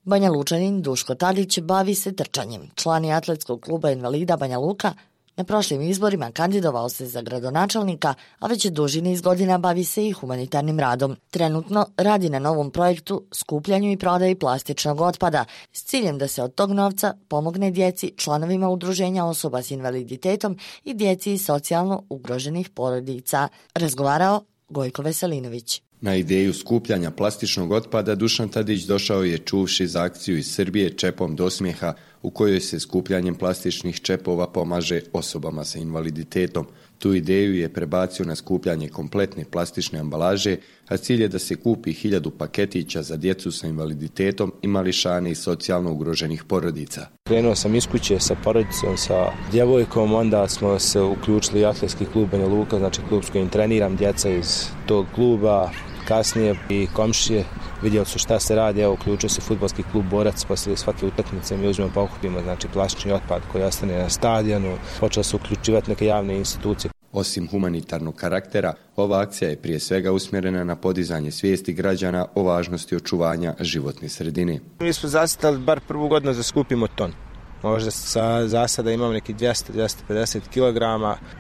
Banja Lučanin Duško Tadić bavi se trčanjem. Član je atletskog kluba invalida Banja Luka. Na prošlim izborima kandidovao se za gradonačelnika, a već duži niz godina bavi se i humanitarnim radom. Trenutno radi na novom projektu skupljanju i prodaji plastičnog otpada s ciljem da se od tog novca pomogne djeci, članovima udruženja osoba s invaliditetom i djeci iz socijalno ugroženih porodica. Razgovarao Gojko Veselinović. Na ideju skupljanja plastičnog otpada Dušan Tadić došao je čuvši za akciju iz Srbije Čepom do smijeha, u kojoj se skupljanjem plastičnih čepova pomaže osobama sa invaliditetom. Tu ideju je prebacio na skupljanje kompletne plastične ambalaže, a cilj je da se kupi 1000 paketića za djecu sa invaliditetom i mališane iz socijalno ugroženih porodica. Krenuo sam iz kuće sa porodicom, sa djevojkom, onda smo se uključili atletski klub Banja Luka, znači klub s kojim treniram djeca iz tog kluba. Kasnije i komšije vidjeli su šta se radi, evo uključio se fudbalski klub Borac, poslije svake utakmice mi uzmemo pokupimo, znači plastični otpad koji ostane na stadionu, počeli su uključivati neke javne institucije. Osim humanitarnog karaktera, ova akcija je prije svega usmjerena na podizanje svijesti građana o važnosti očuvanja životne sredine. Mi smo zacrtali bar prvu godinu da skupimo ton. Možda za sada imamo neki 200-250 kg.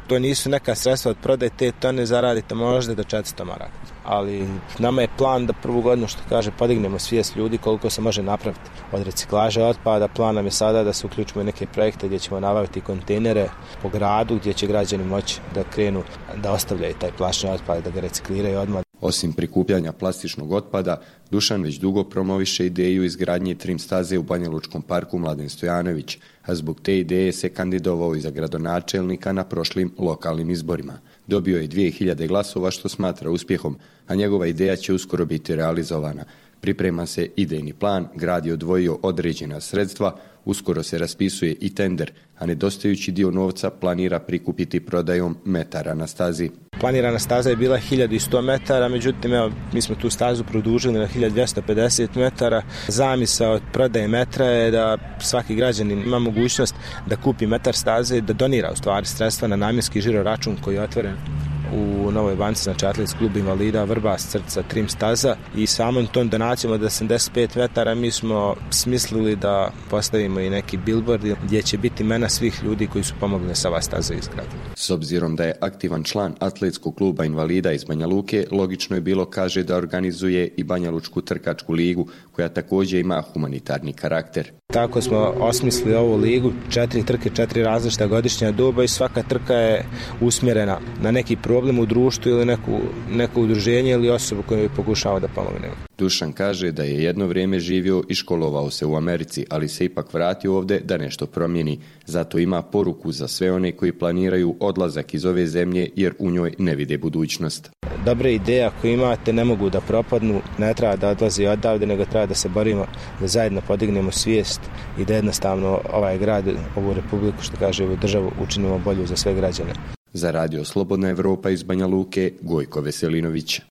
To nisu neka sredstva od prodaje te tone, zaradite možda do 400 maraka. Ali nama je plan da prvu godinu, što kaže, podignemo svijest ljudi koliko se može napraviti od reciklaže otpada. Plan nam je sada da se uključimo u neke projekte gdje ćemo nabaviti kontejnere po gradu gdje će građani moći da krenu da ostavljaju taj plastični otpad, da ga recikliraju odmah. Osim prikupljanja plastičnog otpada, Dušan već dugo promoviše ideju izgradnje trim staze u Banja Lučkom parku Mladen Stojanović, a zbog te ideje se kandidovao i za gradonačelnika na prošlim lokalnim izborima. Dobio je 2000 glasova što smatra uspjehom, a njegova ideja će uskoro biti realizovana. Priprema se idejni plan, grad je odvojio određena sredstva, uskoro se raspisuje i tender, a nedostajući dio novca planira prikupiti prodajom metara na stazi. Planirana staza je bila 1100 metara, međutim evo, mi smo tu stazu produžili na 1250 metara. Zamisao od prodaje metra je da svaki građanin ima mogućnost da kupi metar staze i da donira u stvari sredstva na namjenski žiro račun koji je otvoren u Novoj Banci, znači atletski klub invalida Vrbas, Srca, trim staza, i samom tom donacijom od 85 metara mi smo smislili da postavimo i neki billboard gdje će biti imena svih ljudi koji su pomogli da se ova staza izgradi. S obzirom da je aktivan član atletskog kluba invalida iz Banja Luke, logično je bilo, kaže, da organizuje i Banja Lučku trkačku ligu, koja također ima humanitarni karakter. Tako smo osmislili ovu ligu, 4 trke, 4 različita godišnja doba i svaka trka je usmjerena na neki problem u društvu ili neko udruženje ili osobu koju pokušava da pomogne. Dušan kaže da je jedno vrijeme živio i školovao se u Americi, ali se ipak vratio ovdje da nešto promijeni. Zato ima poruku za sve one koji planiraju odlazak iz ove zemlje jer u njoj ne vide budućnost. Dobre ideje ako imate ne mogu da propadnu, ne treba da odlazi odavde, nego treba da se borimo, da zajedno podignemo svijest i da jednostavno ovaj grad, ovu republiku, što kaže, ovu državu učinimo bolju za sve građane. Za Radio Slobodna Evropa iz Banja Luke, Gojko Veselinović.